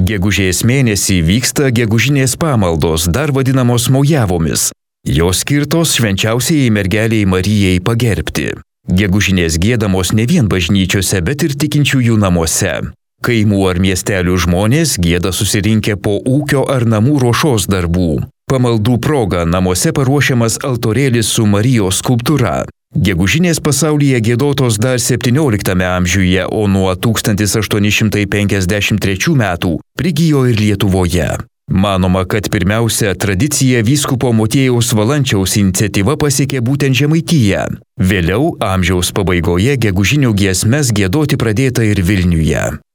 Gegužės mėnesį vyksta gegužinės pamaldos, dar vadinamos mojavomis. Jos skirtos švenčiausiai mergeliai Marijai pagerbti. Gegužinės giedamos ne vien bažnyčiose, bet ir tikinčiųjų namuose. Kaimų ar miestelių žmonės gieda susirinkę po ūkio ar namų ruošos darbų. Pamaldų proga namuose paruošiamas altorėlis su Marijos skulptūra. Gegužinės pasaulyje giedotos dar 17 amžiuje, o nuo 1853 metų prigijo ir Lietuvoje. Manoma, kad pirmiausia tradicija vyskupo Motiejaus Valančiaus iniciatyva pasiekė būtent Žemaitiją. Vėliau amžiaus pabaigoje gegužinių giesmes giedoti pradėta ir Vilniuje.